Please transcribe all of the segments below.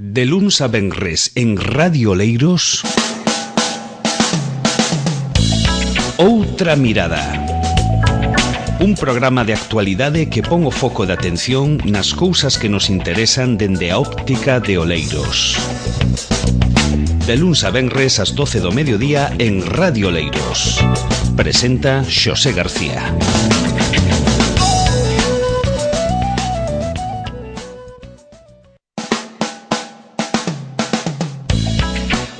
De luns a venres en Radio Oleiros, Outra Mirada. Un programa de actualidade que pon o foco de atención nas cousas que nos interesan dende a óptica de Oleiros. De luns a venres ás 12 do mediodía en Radio Oleiros. Presenta Xosé García.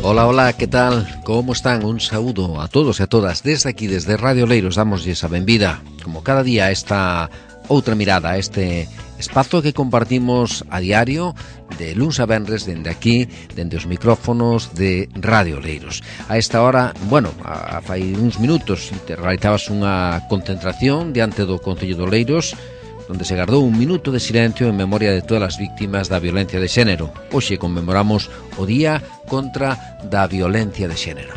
Hola, hola, que tal? Como están? Un saúdo a todos e a todas. Desde aquí, desde Radio Oleiros, damosles a benvida, como cada día, a esta Outra Mirada, a este espazo que compartimos a diario, de luns a venres, dende aquí, dende os micrófonos de Radio Oleiros. A esta hora, bueno, fai uns minutos, realizabas unha concentración diante do Concello de Oleiros, onde se gardou un minuto de silencio en memoria de todas as víctimas da violencia de xénero. Hoxe conmemoramos o Día contra da Violencia de Xénero.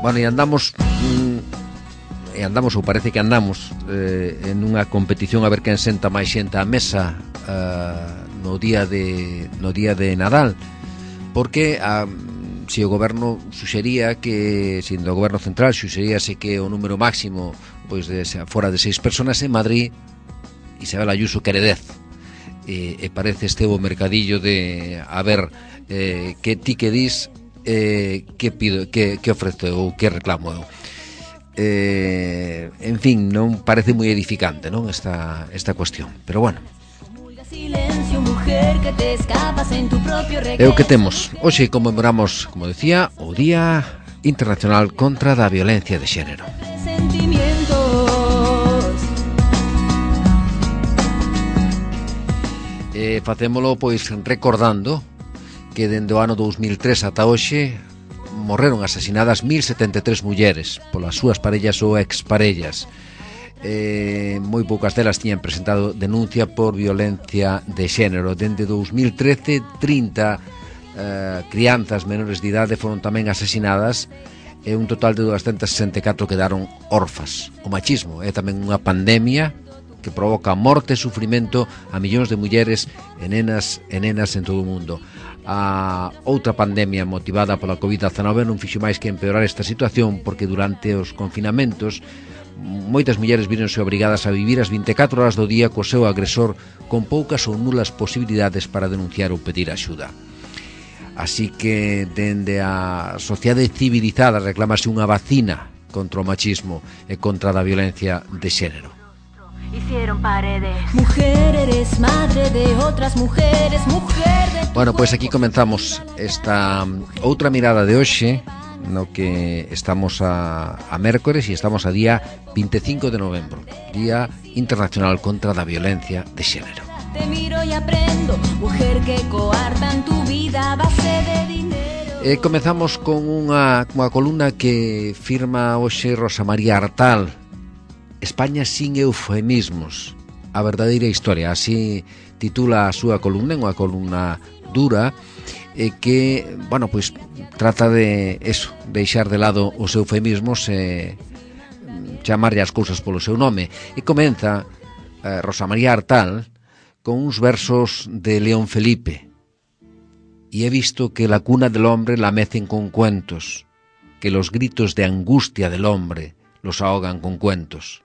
Bueno, e andamos, ou parece que andamos, en unha competición a ver quen senta máis xente á mesa no día de Nadal, porque se o goberno suxería que, sendo o goberno central suxeríase que o número máximo pois fora de 6 personas, en Madrid Isabel Ayuso quere 10, e parece este o mercadillo de a ver que ti que dis, que pido, que ofrezo ou que reclamo eu. En fin, non parece moi edificante, non, esta cuestión, pero bueno. É o que temos. Hoxe conmemoramos, como decía, o Día Internacional contra da Violencia de Xénero. Facémolo pois recordando que dende o ano 2003 ata hoxe morreron asasinadas 1073 mulleres polas súas parellas ou exparellas. Moi poucas delas tiñan presentado denuncia por violencia de xénero. Dende 2013, 30 crianzas menores de idade foron tamén asasinadas e un total de 264 quedaron órfas. O machismo é tamén unha pandemia que provoca morte e sufrimento a millóns de mulleres e nenas en todo o mundo. A outra pandemia motivada pola COVID-19 non fixo máis que empeorar esta situación, porque durante os confinamentos moitas mulleres víronse obrigadas a vivir as 24 horas do día co seu agresor, con poucas ou nulas posibilidades para denunciar ou pedir axuda. Así que dende a sociedade civilizada reclamase unha vacina contra o machismo e contra a violencia de xénero. Hicieron paredes. Mujer, eres madre de otras mujeres, mujer de... Bueno, pois aquí comenzamos esta outra mirada de hoxe, no que estamos a mércores e estamos a día 25 de novembro, Día Internacional contra da Violencia de Xénero. Te miro e aprendo, mujer que coartan tu vida a base de dinero. Comezamos con unha columna que firma hoxe Rosa María Artal, España sin eufemismos, a verdadeira historia, así titula a súa columna, unha columna dura, que, bueno, pois trata de eso, deixar de lado os eufemismos e chamarlle as cousas polo seu nome. E comeza Rosa María Artal con uns versos de León Felipe. Y he visto que la cuna del hombre la mecen con cuentos, que los gritos de angustia del hombre los ahogan con cuentos,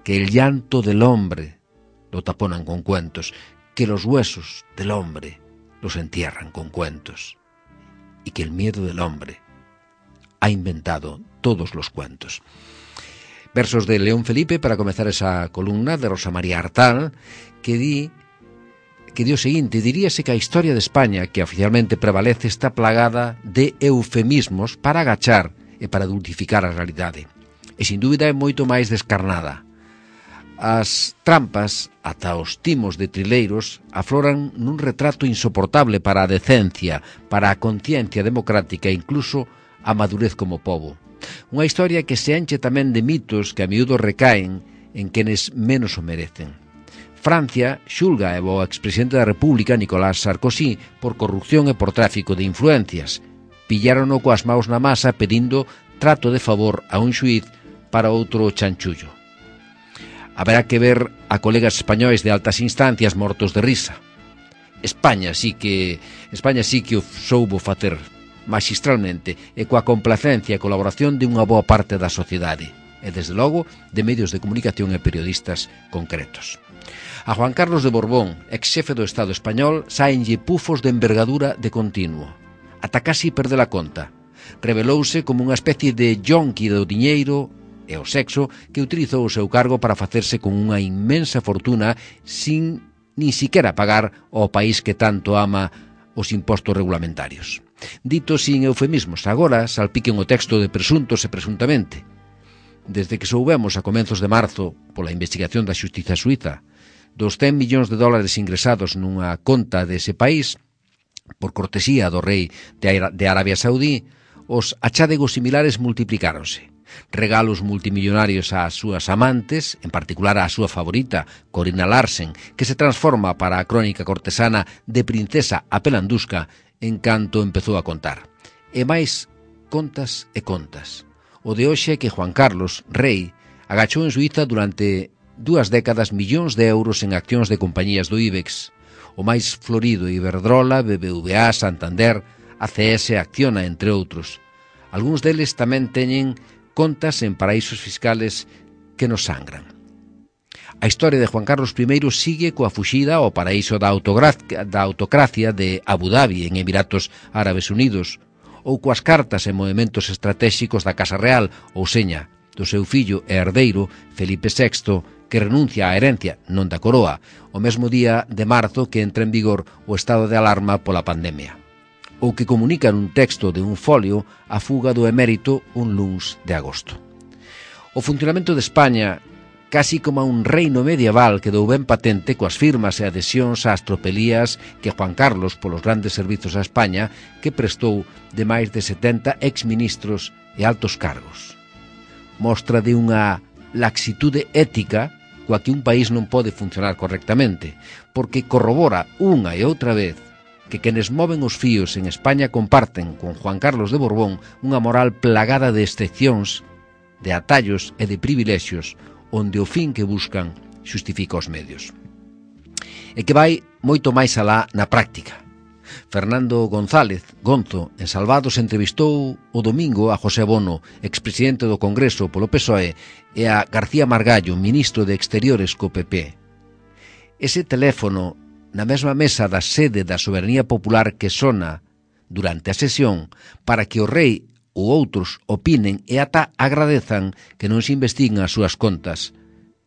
que el llanto del hombre lo taponan con cuentos, que los huesos del hombre los entierran con cuentos, y que el miedo del hombre ha inventado todos los cuentos. Versos de León Felipe para comezar esa columna de Rosa María Artal, que di o seguinte: diríase que a historia de España, que oficialmente prevalece, está plagada de eufemismos para agachar e para dulcificar a realidade, e sin dúbida é moito máis descarnada. As trampas, ata os timos de trileiros, afloran nun retrato insoportable para a decencia, para a conciencia democrática e incluso a madurez como pobo. Unha historia que se enche tamén de mitos que a miúdo recaen en quenes menos o merecen. Francia xulga ao expresidente da República, Nicolás Sarkozy, por corrupción e por tráfico de influencias. Pillárono coas maus na masa pedindo trato de favor a un xuíz para outro chanchullo. Haberá que ver a colegas españois de altas instancias mortos de risa. España sí que o soubo facer magistralmente e coa complacencia e colaboración de unha boa parte da sociedade e, desde logo, de medios de comunicación e periodistas concretos. A Juan Carlos de Borbón, ex xefe do Estado español, saenlle pufos de envergadura de continuo. Ata casi perde a conta. Revelouse como unha especie de yonqui do diñeiro e o sexo que utilizou o seu cargo para facerse con unha inmensa fortuna sin nin siquiera pagar ao país que tanto ama os impostos regulamentarios. Dito sin eufemismos, agora salpiquen o texto de presuntos e presuntamente. Desde que soubemos a comenzos de marzo, pola investigación da xustiza suiza, dos 100 millóns de dólares ingresados nunha conta dese país, por cortesía do rei de Arabia Saudí, os achádegos similares multiplicáronse. Regalos multimillonarios ás súas amantes, en particular á súa favorita, Corina Larsen, que se transforma para a crónica cortesana de princesa a pelandusca en canto empezou a contar. E máis contas e contas. O de hoxe é que Juan Carlos, rei, agachou en Suiza durante 2 décadas millóns de euros en accións de compañías do IBEX. O máis florido Iberdrola, BBVA, Santander, ACS, Acciona, entre outros. Algúns deles tamén teñen contas en paraísos fiscales que nos sangran. A historia de Juan Carlos I sigue coa fuxida ao paraíso da autocracia de Abu Dhabi, en Emiratos Árabes Unidos, ou coas cartas e movementos estratégicos da Casa Real, ou seña, do seu fillo e herdeiro, Felipe VI, que renuncia á herencia, non da coroa, o mesmo día de marzo que entra en vigor o estado de alarma pola pandemia, ou que comunica nun texto de un folio a fuga do emérito un luns de agosto. O funcionamento de España, casi como un reino medieval, quedou ben patente coas firmas e adhesións ás tropelías que Juan Carlos, polos grandes servizos a España, que prestou de máis de 70 exministros e altos cargos. Mostra de unha laxitude ética coa que un país non pode funcionar correctamente, porque corrobora unha e outra vez que quenes moven os fíos en España comparten con Juan Carlos de Borbón unha moral plagada de excepcións, de atallos e de privilexios, onde o fin que buscan xustifica os medios. E que vai moito máis alá na práctica. Fernando González, Gonzo, en Salvados, entrevistou o domingo a José Bono, expresidente do Congreso polo PSOE, e a García Margallo, ministro de Exteriores co PP. Ese teléfono na mesma mesa da sede da soberanía popular que sona durante a sesión para que o rei ou outros opinen e ata agradezan que non se investiguen as súas contas,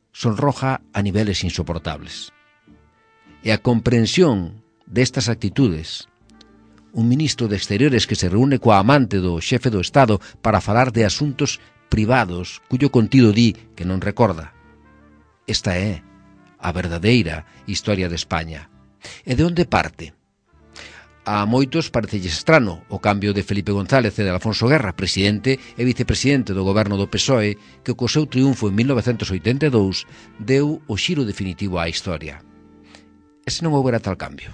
sonroja a niveles insoportables. E a comprensión destas actitudes, un ministro de Exteriores que se reúne coa amante do xefe do Estado para falar de asuntos privados cuyo contido di que non recorda. Esta é a verdadeira historia de España. E de onde parte? A moitos parecelles estrano o cambio de Felipe González e de Alfonso Guerra, presidente e vicepresidente do goberno do PSOE, que co seu triunfo en 1982 deu o xiro definitivo á historia. E se non houbera tal cambio?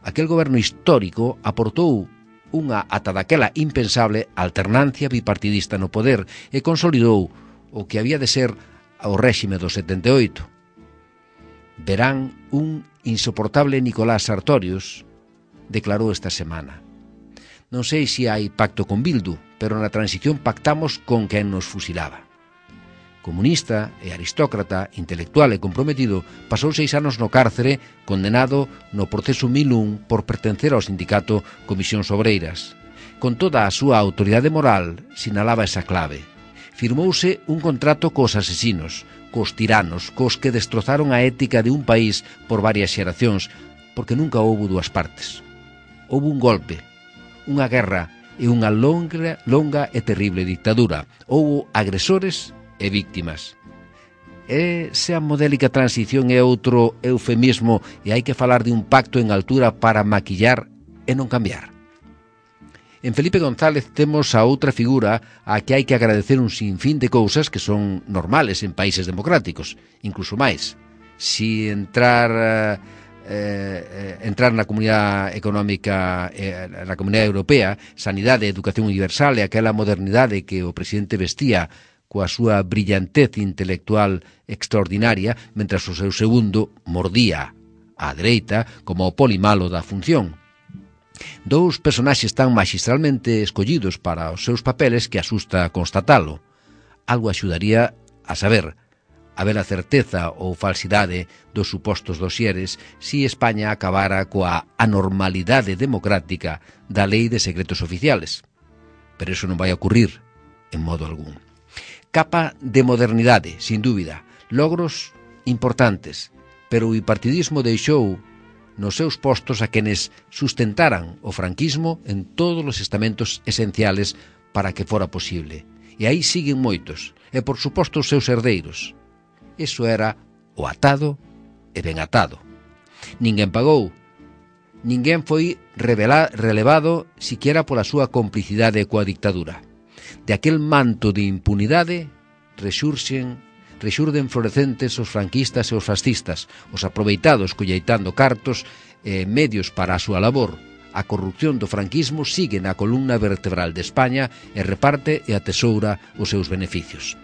Aquel goberno histórico aportou unha ata daquela impensable alternancia bipartidista no poder e consolidou o que había de ser o réxime do 78. Verán un insoportable Nicolás Sartorius declarou esta semana: non sei se hai pacto con Bildu, pero na transición pactamos con quen nos fusilaba. Comunista e aristócrata, intelectual e comprometido, pasou 6 anos no cárcere, condenado no proceso 1001 por pertencer ao sindicato Comisións Obreiras. Con toda a súa autoridade moral, sinalaba esa clave. Firmouse un contrato cos asesinos, cos tiranos, cos que destrozaron a ética de un país por varias xeracións, porque nunca houbo dúas partes. Houbo un golpe, unha guerra e unha longa e terrible dictadura. Houbo agresores e víctimas. Esa modélica transición é outro eufemismo e hai que falar de un pacto en altura para maquillar e non cambiar. En Felipe González temos a outra figura a que hai que agradecer un sinfín de cousas que son normales en países democráticos, incluso máis. Si entrar na Comunidade Económica, na Comunidade Europea, sanidade, educación universal e aquela modernidade que o presidente vestía coa súa brillantez intelectual extraordinaria, mentras o seu segundo mordía á dereita como o polimalo da función. Dous personaxes tan magistralmente escollidos para os seus papeles que asusta constatalo. Algo axudaría a saber, a ver a certeza ou falsidade dos supostos dosieres si España acabara coa anormalidade democrática da lei de secretos oficiales. Pero iso non vai a ocurrir en modo algún. Capa de modernidade, sin dúbida, logros importantes, pero o bipartidismo deixou nos seus postos a quenes sustentaran o franquismo en todos os estamentos esenciales para que fora posible. E aí siguen moitos, e por suposto os seus herdeiros. Iso era o atado e ben atado. Ninguén pagou, ninguén foi relevado siquiera pola súa complicidade coa dictadura. De aquel manto de impunidade rexurden florecentes os franquistas e os fascistas, os aproveitados colleitando cartos e medios para a súa labor. A corrupción do franquismo sigue na columna vertebral de España e reparte e atesoura os seus beneficios.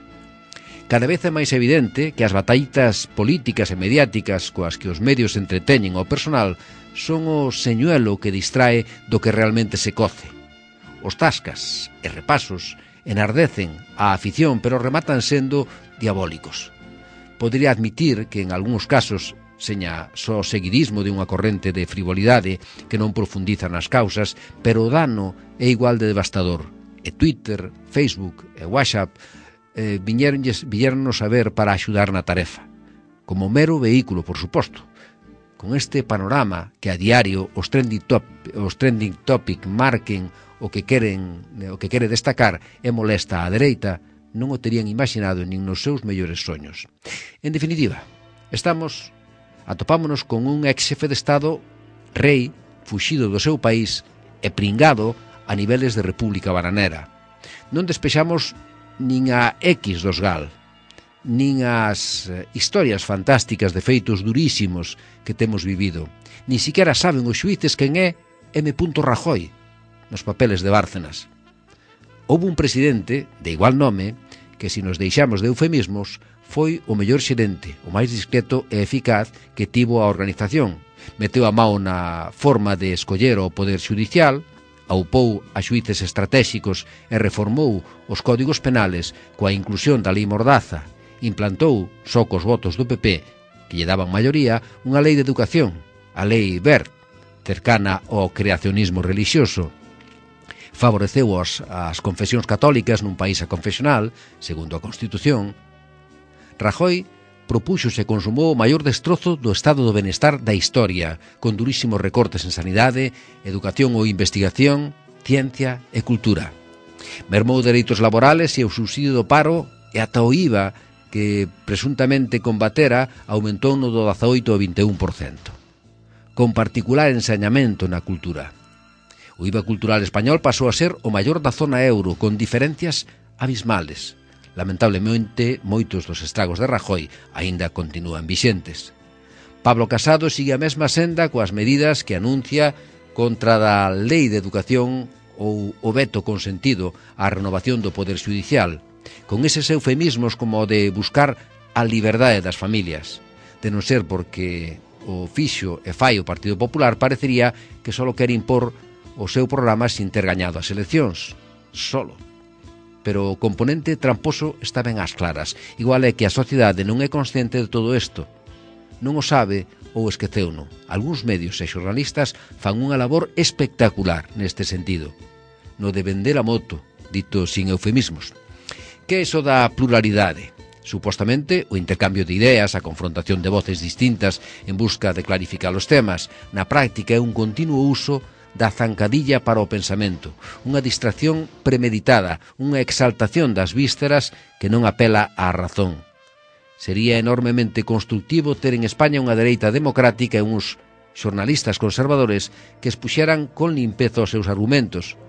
Cada vez é máis evidente que as batallitas políticas e mediáticas coas que os medios entreteñen ao personal son o señuelo que distrae do que realmente se coce. Os tascas e repasos enardecen a afición, pero rematan sendo diabólicos. Podería admitir que en algúns casos seña só seguidismo de unha corrente de frivolidade que non profundiza nas causas, pero o dano é igual de devastador. E Twitter, Facebook e WhatsApp viñernos a ver para axudar na tarefa, como mero vehículo, por suposto. Con este panorama que a diario os trending topic marquen o que quere destacar e molesta á dereita, non o terían imaginado nin nos seus mellores soños. En definitiva, atopámonos con un ex-xefe de Estado, rei, fuxido do seu país e pringado a niveles de república bananera. Non despexamos nin a X dos GAL, nin as historias fantásticas de feitos durísimos que temos vivido. Ni siquiera saben os xuíces quen é M. Rajoy nos papeles de Bárcenas. Houve un presidente de igual nome que, se nos deixamos de eufemismos, foi o mellor xerente, o máis discreto e eficaz que tivo a organización. Meteu a mão na forma de escoller o poder xudicial, aupou a xuíces estratégicos e reformou os códigos penales coa inclusión da lei Mordaza. Implantou, só cos votos do PP, que lle daban maioría, unha lei de educación, a lei Wert, cercana ao creacionismo relixioso. Favoreceu as confesións católicas nun país aconfesional, segundo a Constitución. Rajoy propúxose e consumou o maior destrozo do estado do benestar da historia, con durísimos recortes en sanidade, educación ou investigación, ciencia e cultura. Mermou dereitos laborales e o subsidio do paro e ata o IVA, que presuntamente combatera, aumentou no do 18 ao 21%. Con particular ensañamento na cultura. O IVA cultural español pasou a ser o maior da zona euro, con diferencias abismales. Lamentablemente, moitos dos estragos de Rajoy aínda continúan vixentes. Pablo Casado sigue a mesma senda coas medidas que anuncia contra da lei de educación ou o veto consentido á renovación do poder xudicial, con eses eufemismos como o de buscar a liberdade das familias. De non ser porque o fixo e fai o Partido Popular, parecería que só quere impor o seu programa sin ter gañado as eleccións. Solo. Pero o componente tramposo está ben ás claras. Igual é que a sociedade non é consciente de todo isto. Non o sabe ou esqueceuno. Algúns medios e xornalistas fan unha labor espectacular neste sentido. No de vender a moto, dito sin eufemismos. Que é iso da pluralidade? Supostamente, o intercambio de ideas, a confrontación de voces distintas en busca de clarificar os temas. Na práctica é un continuo uso da zancadilla para o pensamento, unha distracción premeditada, unha exaltación das vísceras que non apela á razón. Sería enormemente constructivo ter en España unha dereita democrática e uns xornalistas conservadores que expuxeran con limpeza os seus argumentos.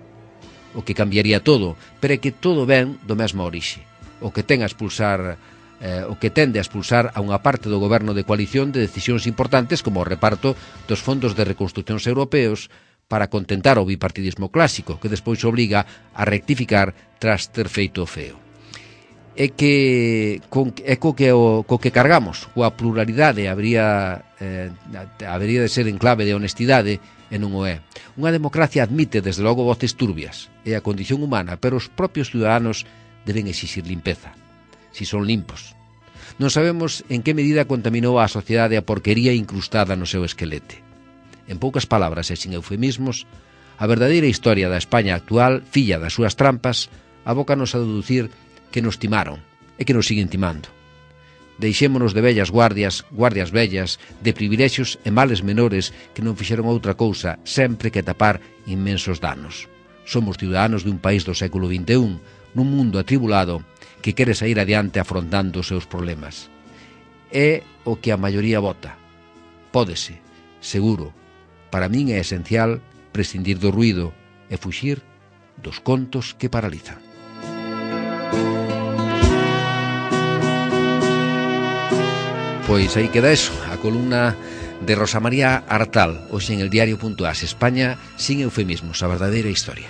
O que cambiaría todo, pero é que todo ven do mesmo orixe. O que tende a expulsar a unha parte do goberno de coalición de decisións importantes como o reparto dos fondos de reconstruccións europeos para contentar o bipartidismo clásico, que despois obriga a rectificar tras ter feito o feo. é que co que cargamos, coa pluralidade habería de ser en clave de honestidade e non o é. Unha democracia admite desde logo voces turbias, é a condición humana, pero os propios ciudadanos deben exixir limpeza, si son limpos. Non sabemos en que medida contaminou a sociedade a porquería incrustada no seu esquelete. En poucas palabras e sin eufemismos, a verdadeira historia da España actual, filla das súas trampas, abócanos a deducir que nos timaron e que nos siguen timando. Deixémonos de vellas guardias vellas, de privilexios e males menores que non fixeron outra cousa sempre que tapar inmensos danos. Somos ciudadanos de un país do século XXI, nun mundo atribulado que quere sair adiante afrontando os seus problemas. É o que a maioría vota. Pódese, seguro. Para min é esencial prescindir do ruído e fuxir dos contos que paralizan. Pois aí queda eso, a columna de Rosa María Artal, hoxe en el diario.as, España sin eufemismos, a verdadeira historia.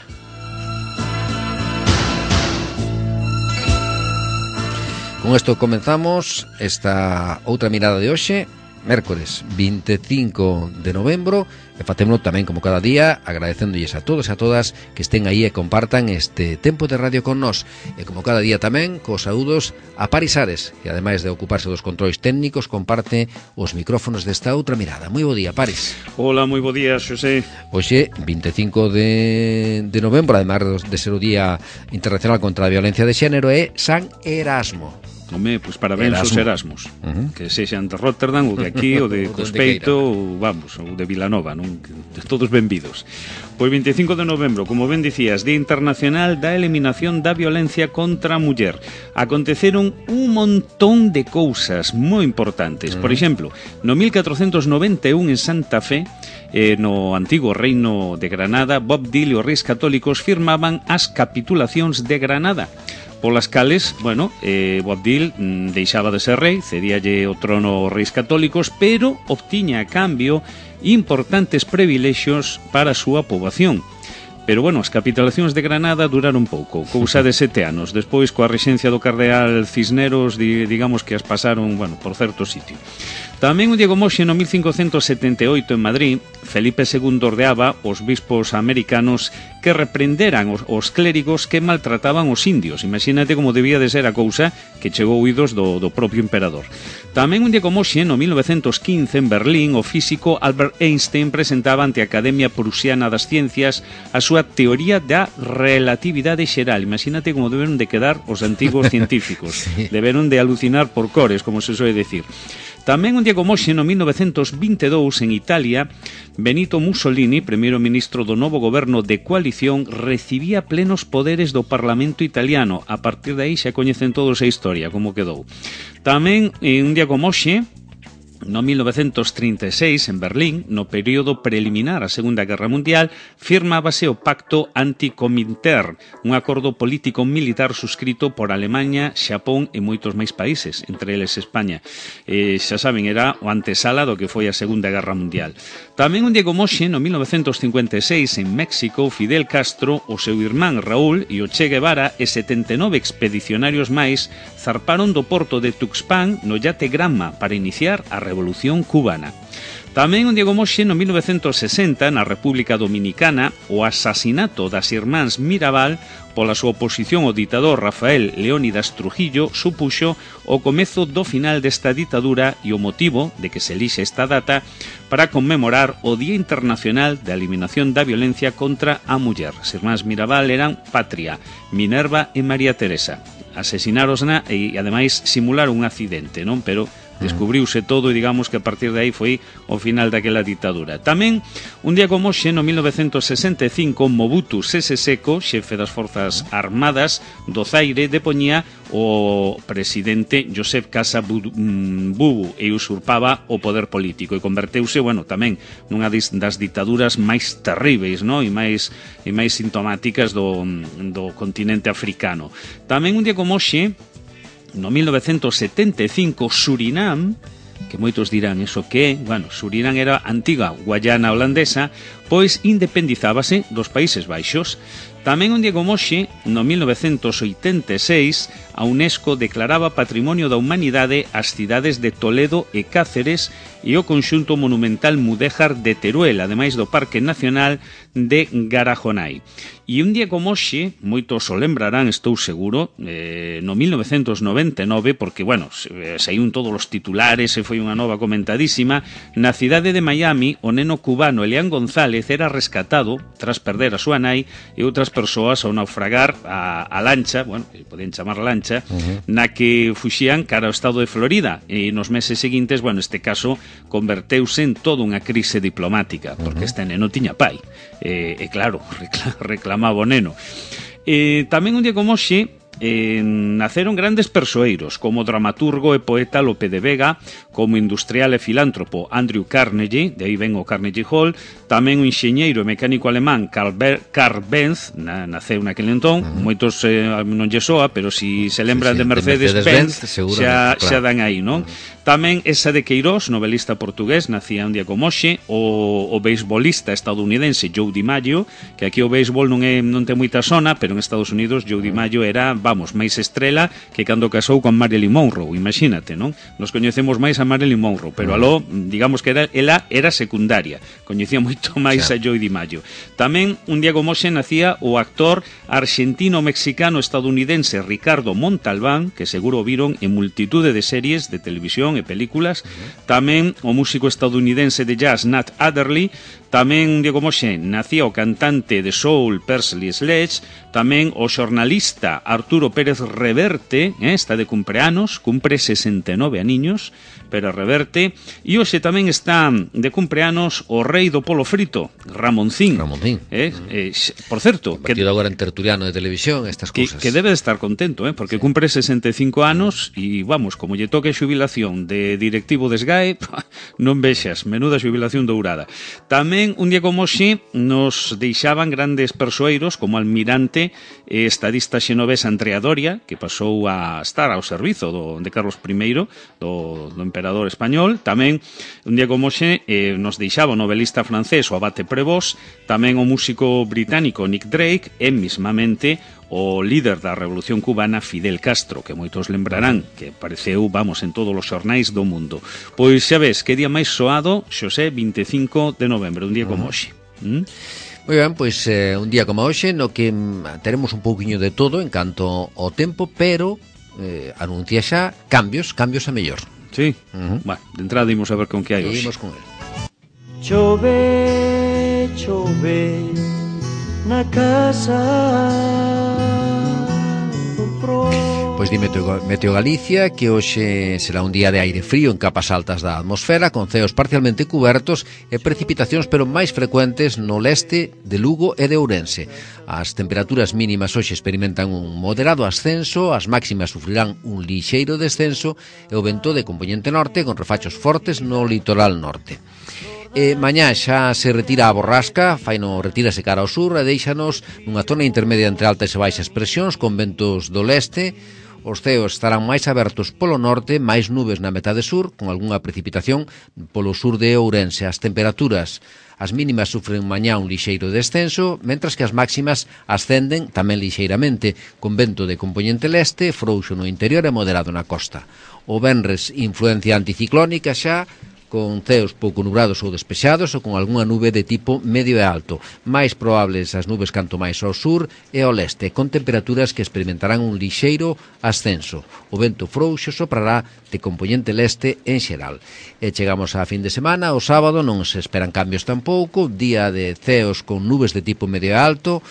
Con isto comenzamos esta outra mirada de hoxe, mércores 25 de novembro, e facémolo tamén como cada día agradecéndolles a todos e a todas que estén aí e compartan este tempo de radio con nós, e como cada día tamén cos saúdos a Paris Ares, que ademais de ocuparse dos controis técnicos comparte os micrófonos desta outra mirada. Moi bo día, Paris. Hola, moi bo día, Xosé. Hoxe, 25 de novembro, ademais de ser o Día Internacional contra a Violencia de Xénero, é San Erasmo. Home, pois parabéns aos Erasmus, que sexan de Rotterdam ou de aquí, ou de Cospeito, ou vamos, ou de Vilanova, non? De todos benvidos. Pois 25 de novembro, como ben dicías, Día Internacional da Eliminación da Violencia contra a Muller. Aconteceron un montón de cousas moi importantes. Por exemplo, no 1491 en Santa Fe, no antigo reino de Granada, Bob Dil e os reis católicos firmaban as capitulacións de Granada, polas cales, Bob Dil deixaba de ser rei, cedíalle o trono aos reis católicos, pero obtiña a cambio importantes privilexios para a súa poboación. Pero, as capitulacións de Granada duraron pouco, cousa de 7 anos. Despois, coa rexencia do cardeal Cisneros, digamos que as pasaron, por certo sitio. Tamén un Diego Moxe no 1578 en Madrid, Felipe II ordeaba os bispos americanos que reprenderan os clérigos que maltrataban os indios. Imagínate como debía de ser a cousa que chegou oídos do propio emperador. Tamén un Diego Moxe no 1915 en Berlín, o físico Albert Einstein presentaba ante a Academia Prusiana das Ciencias a súa teoría da relatividade xeral. Imagínate como deberon de quedar os antigos científicos. Sí. Deberon de alucinar por cores, como se soe decir. Tamén un Diego Moxe no 1922 en Italia, Benito Mussolini, primeiro ministro do novo goberno de coalición, recibía plenos poderes do Parlamento italiano. A partir de aí xa coñecen todos a historia, como quedou. Tamén un Diego Moxe no 1936, en Berlín, no período preliminar á Segunda Guerra Mundial, firmábase o Pacto Anti-Comintern, un acordo político-militar suscrito por Alemanha, Xapón e moitos máis países, entre eles España. Xa saben, era o antesala do que foi a Segunda Guerra Mundial. Tamén un Diego Moxe, no 1956, en México, Fidel Castro, o seu irmán Raúl e o Che Guevara e 79 expedicionarios máis zarparon do porto de Tuxpan no yate Granma para iniciar a Revolución Cubana. Tamén un Diego Moxe no 1960 na República Dominicana, o asasinato das irmáns Mirabal pola súa oposición ao ditador Rafael Leónidas Trujillo supuxo o comezo do final desta ditadura e o motivo de que se elixe esta data para conmemorar o Día Internacional de Eliminación da Violencia contra a Muller. As irmáns Mirabal eran Patria, Minerva e María Teresa. Asesinárosna e ademais simularon un accidente, non? Pero descubriuse todo e digamos que a partir de aí foi o final daquela ditadura. Tamén, un día como hoxe, no 1965, Mobutu Sese Seko, xefe das Forzas Armadas do Zaire, depoñía o presidente Joseph Casa Bubu e usurpaba o poder político e converteuse, tamén nunha das ditaduras máis terríveis, non? E máis sintomáticas do continente africano. Tamén un día como hoxe, no 1975, Surinam, que moitos dirán eso que é, Surinam era a antiga Guayana holandesa, pois independizábase dos Países Baixos. Tamén un día como hoxe, no 1986, a UNESCO declaraba Patrimonio da Humanidade as cidades de Toledo e Cáceres e o conxunto monumental mudéjar de Teruel, ademais do Parque Nacional de Garajonai. E un día como hoxe, moitos o lembrarán, estou seguro, no 1999, porque, bueno, saíun todos os titulares e foi unha nova comentadísima, na cidade de Miami, o neno cubano Elian González era rescatado tras perder a súa nai e outras persoas ao naufragar a lancha, bueno, que poden chamar lancha, na que fuxían cara ao estado de Florida, e nos meses seguintes, bueno, este caso converteuse en toda unha crise diplomática, porque este neno tiña pai, e claro, reclamaba o neno. Tamén un día como hoxe naceron grandes persoeiros, como o dramaturgo e poeta Lope de Vega, como industrial e filántropo Andrew Carnegie, de aí ven o Carnegie Hall, tamén o enxeñeiro e mecánico alemán Karl Benz, naceu naquele entón, moitos non lle soa, pero si se lembran de Mercedes-Benz, xa dan aí, non? Tamén esa de Queiroz, novelista portugués, nacía un día como hoxe, o beisbolista estadounidense Joe DiMaggio, que aquí o béisbol non ten moita sona, pero en Estados Unidos Joe DiMaggio era, vamos, máis estrela que cando casou con Marilyn Monroe, imagínate, non? Nos coñecemos máis a Marilyn Monroe, pero aló, digamos que ela era secundaria, coñecía moito máis a Joe DiMaggio. Tamén un día como hoxe nacía o actor argentino-mexicano estadounidense Ricardo Montalbán, que seguro viron en multitude de series de televisión e películas, tamén o músico estadounidense de jazz Nat Adderley, tamén un día como hoxe nacía o cantante de soul Persley Sledge, tamén o xornalista Arturo Pérez Reverte, está de cumpleanos, cumpre 69 aniños, pero Reverte, e hoxe tamén está de cumpleanos o rei do polo frito, Ramoncín. Por certo, convertido agora en tertuliano de televisión, estas cousas. Que debe de estar contento, porque cumpre 65 anos e, vamos, como lle toque a xubilación de directivo de SGAE, non vexas, menuda xubilación dourada. Tamén, un día como hoxe, nos deixaban grandes persoeiros como almirante e estadista xenovés Andrea Doria, que pasou a estar ao servizo de Carlos I, do emperador español. Tamén, un día como hoxe, nos deixaba o novelista francés o Abate Prévost, tamén o músico británico Nick Drake e, mismamente, o líder da Revolución Cubana Fidel Castro, que moitos lembrarán que apareceu, vamos, en todos os xornais do mundo. Pois xa ves, que día máis soado, Xosé, 25 de novembro, un día como hoxe. Moi ben, pois un día como hoxe no que teremos un pouquiño de todo en canto ao tempo, pero anuncia xa cambios a mellor. Sí, bueno, de entrada imos a ver con que hai hoxe. Imos con el. Chove, na casa do pro. Pois di Meteo Galicia que hoxe será un día de aire frío en capas altas da atmosfera, con ceos parcialmente cubertos e precipitacións pero máis frecuentes no leste de Lugo e de Ourense. As temperaturas mínimas hoxe experimentan un moderado ascenso, as máximas sufrirán un lixeiro descenso e o vento de compoñente norte con refachos fortes no litoral norte. Mañá xa se retira a borrasca, retírase cara ao sur e deixanos nunha zona intermedia entre altas e baixas presións con ventos do leste. Os ceos estarán máis abertos polo norte, máis nubes na metade sur, con algunha precipitación polo sur de Ourense. As temperaturas, as mínimas sufren mañá un lixeiro descenso, mentras que as máximas ascenden tamén lixeiramente, con vento de compoñente leste, frouxo no interior e moderado na costa. O venres, influencia anticiclónica xa, con ceos pouco nubrados ou despexados ou con algunha nube de tipo medio e alto. Mais probables as nubes canto máis ao sur e ao leste, con temperaturas que experimentarán un lixeiro ascenso. O vento frouxo soprará de compoñente leste en xeral. E chegamos á fin de semana, o sábado non se esperan cambios tampouco, día de ceos con nubes de tipo medio e alto,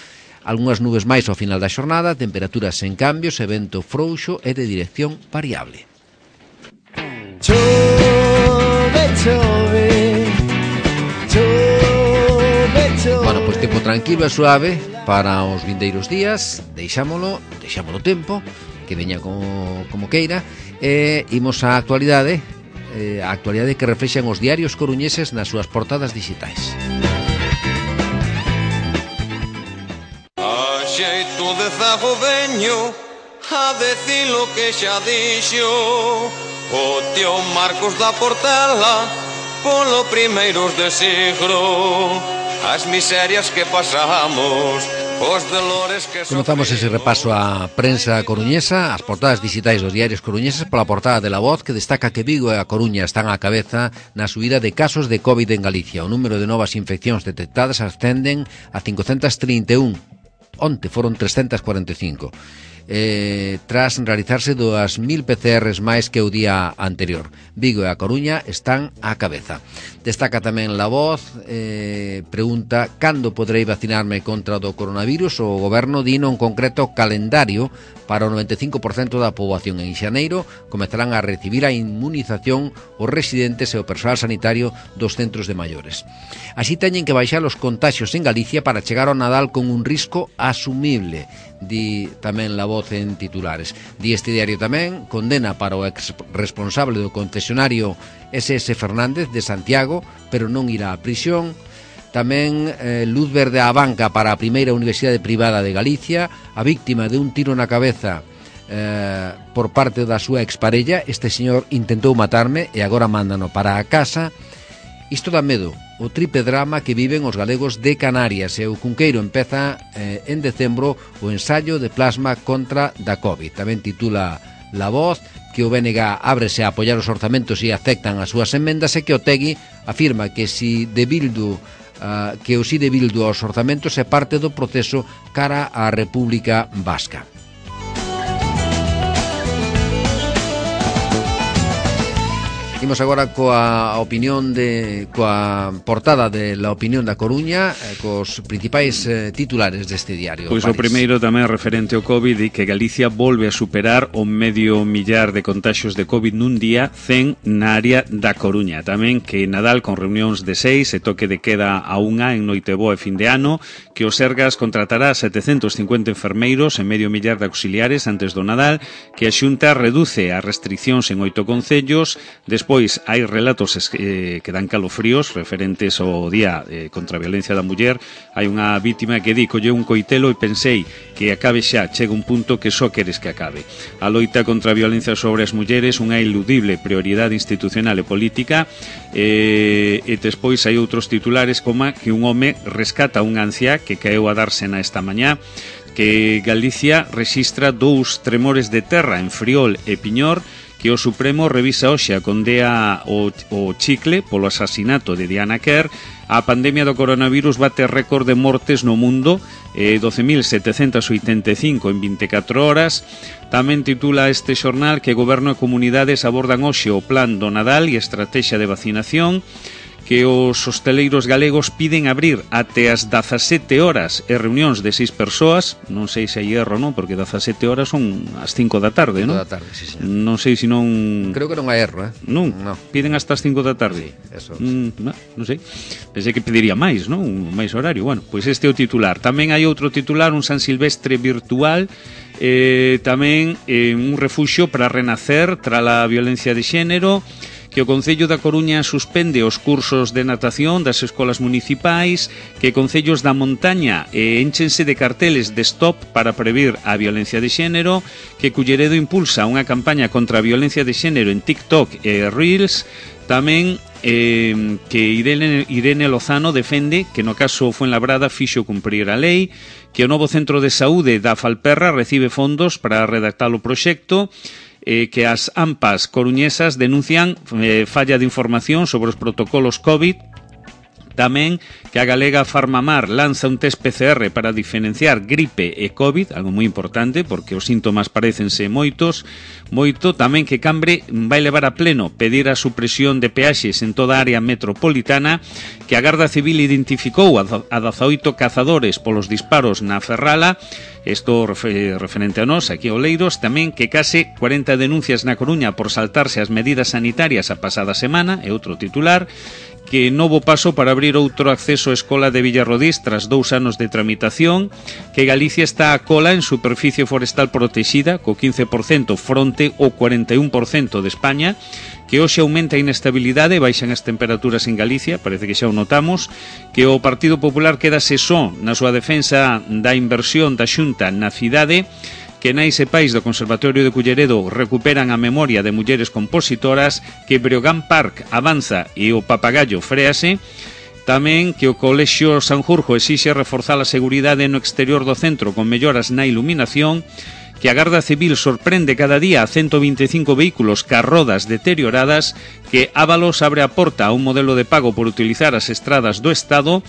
algunhas nubes máis ao final da xornada, temperaturas en cambios e vento frouxo e de dirección variable. Bueno, pois tempo tranquilo e suave para os vindeiros días. Deixámolo tempo que veña como queira. E imos á actualidade, a actualidade que reflexan os diarios coruñeses nas súas portadas digitais. A xeito de zago veño a decir lo que xa dixo o tío Marcos da Portela polo primeiros de siglo. As miserias que pasamos os dolores que Comenzamos ese repaso á prensa coruñesa, as portadas digitais dos diarios coruñeses, pola portada de La Voz, que destaca que Vigo e a Coruña están á cabeza na subida de casos de COVID en Galicia. O número de novas infeccións detectadas ascenden a 531. Onte foron 345. Tras realizarse 2.000 PCRs máis que o día anterior. Vigo e a Coruña están á cabeza. Destaca tamén La Voz, pregunta cando poderei vacinarme contra o coronavirus. O goberno dino un concreto calendario para o 95% da poboación. En xaneiro comezarán a recibir a inmunización os residentes e o persoal sanitario dos centros de maiores. Así teñen que baixar os contaxios en Galicia para chegar ao Nadal con un risco asumible, di tamén La Voz en titulares. Di este diario tamén, condena para o ex responsable do concesionario SS Fernández de Santiago, pero non irá á prisión. Tamén luz verde á banca para a primeira universidade privada de Galicia. A víctima de un tiro na cabeza por parte da súa exparella. Este señor intentou matarme e agora mándano para a casa. Isto dá medo, o triple drama que viven os galegos de Canarias. E o Cunqueiro empeza en decembro o ensaio de plasma contra da COVID. Tamén titula La Voz que o BNG ábrese a apoiar os orzamentos e aceptan as súas emendas, e que Otegui afirma que o sí de Bildu aos orzamentos é parte do proceso cara á República Vasca. Imos agora coa portada de La Opinión da Coruña, cos principais titulares deste diario. Pois o primeiro tamén referente ao COVID, e que Galicia volve a superar o 500.000 de contaxios de COVID nun día, 100 na área da Coruña. Tamén que Nadal con reunións de 6 e toque de queda a 1 en Noiteboa e fin de ano, que o Sergas contratará 750 enfermeiros e 500.000 de auxiliares antes do Nadal, que a Xunta reduce as restriccións en 8 concellos. Despois hai relatos que dan calofríos referentes ao día contra a violencia da muller. Hai unha vítima que di: colle un coitelo e pensei que acabe xa, chega un punto que só queres que acabe. A loita contra a violencia sobre as mulleres, unha iludible prioridade institucional e política. E despois hai outros titulares como que un home rescata unha anciá que caeu a dársena esta mañá, que Galicia rexistra 2 tremores de terra en Friol e Piñor, que o Supremo revisa hoxe a condea o Chicle polo asasinato de Diana Kerr. A pandemia do coronavirus bate récord de mortes no mundo, 12.785 en 24 horas. Tamén titula este xornal que Goberno e Comunidades abordan hoxe o plan do Nadal e a estrategia de vacinación, que os hosteleiros galegos piden abrir até as 17 horas e reunións de 6 persoas. Non sei se hai erro, non, porque 17 horas son as 5 da tarde, non? 5 da tarde, sí, señor. Non sei se non... Creo que non hai erro, Non, piden hasta as 5 da tarde. Sí, eso. Non sei. Pensei que pediría máis, non? Un máis horario. Bueno, pois este é o titular. Tamén hai outro titular, un San Silvestre virtual, tamén un refuxio para renacer tras a violencia de xénero, que o Concello da Coruña suspende os cursos de natación das escolas municipais, que concellos da montaña énchense de carteles de stop para previr a violencia de xénero, que Culleredo impulsa unha campaña contra a violencia de xénero en TikTok e Reels. Tamén que Irene Lozano defende que no caso Fuenlabrada fixo cumprir a lei, que o novo centro de saúde da Falperra recibe fondos para redactar o proxecto, que as AMPAs coruñesas denuncian falla de información sobre os protocolos COVID. Tamén que a galega Farmamar lanza un test PCR para diferenciar gripe e COVID, algo moi importante porque os síntomas parecense moito. Tamén que Cambre vai levar a pleno pedir a supresión de peaxes en toda a área metropolitana, que a Garda Civil identificou a 18 cazadores polos disparos na Ferrala. Isto referente a nós, aquí a Oleiros. Tamén que case 40 denuncias na Coruña por saltarse as medidas sanitarias a pasada semana, é outro titular. Que novo paso para abrir outro acceso á escola de Villarrodís tras 2 anos de tramitación, que Galicia está a cola en superficie forestal protexida, co 15% fronte ao 41% de España, que hoxe aumenta a inestabilidade e baixan as temperaturas en Galicia, parece que xa o notamos, que o Partido Popular quedase só na súa defensa da inversión da Xunta na cidade, que nais e pais do Conservatorio de Culleredo recuperan a memoria de mulleres compositoras, que Breogán Park avanza e o Papagayo fréase. Tamén que o Colexio Sanjurjo exixe reforzar a seguridade no exterior do centro con melloras na iluminación, que a Garda Civil sorprende cada día a 125 vehículos ca rodas deterioradas, que Ábalos abre a porta a un modelo de pago por utilizar as estradas do Estado,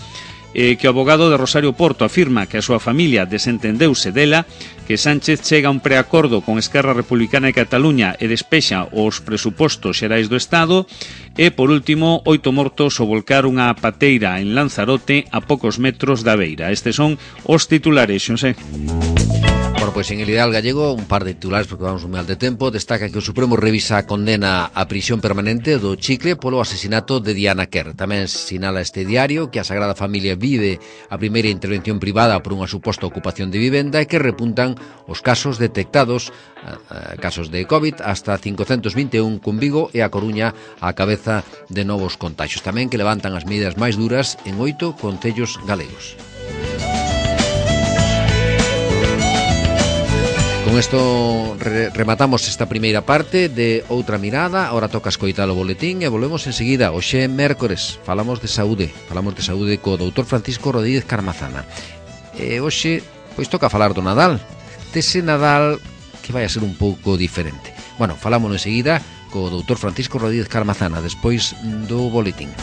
que o abogado de Rosario Porto afirma que a súa familia desentendeuse dela, que Sánchez chega a un preacordo con Esquerra Republicana de Cataluña e despexa os presupostos xerais do Estado, e, por último, 8 mortos ao volcar unha pateira en Lanzarote a poucos metros da beira. Estes son os titulares, Xosé. Bueno, pois en el Ideal Gallego, un par de titulares porque vamos un mal de tempo. Destaca que o Supremo revisa a condena a prisión permanente do Chicle polo asesinato de Diana Kerr. Tamén sinala este diario que a Sagrada Familia vive a primeira intervención privada por unha suposta ocupación de vivenda e que repuntan os casos detectados, casos de COVID, hasta 521 con Vigo e a Coruña á cabeza de novos contagios. Tamén que levantan as medidas máis duras en 8 concellos galegos. Con isto rematamos esta primeira parte de Outra Mirada. Ahora toca escoitar o boletín e volvemos enseguida. Hoxe mércores, falamos de saúde co doutor Francisco Rodríguez Carmazana. E hoxe, pois toca falar do Nadal, dese Nadal que vai a ser un pouco diferente. Bueno, falámonos enseguida co doutor Francisco Rodríguez Carmazana despois do boletín.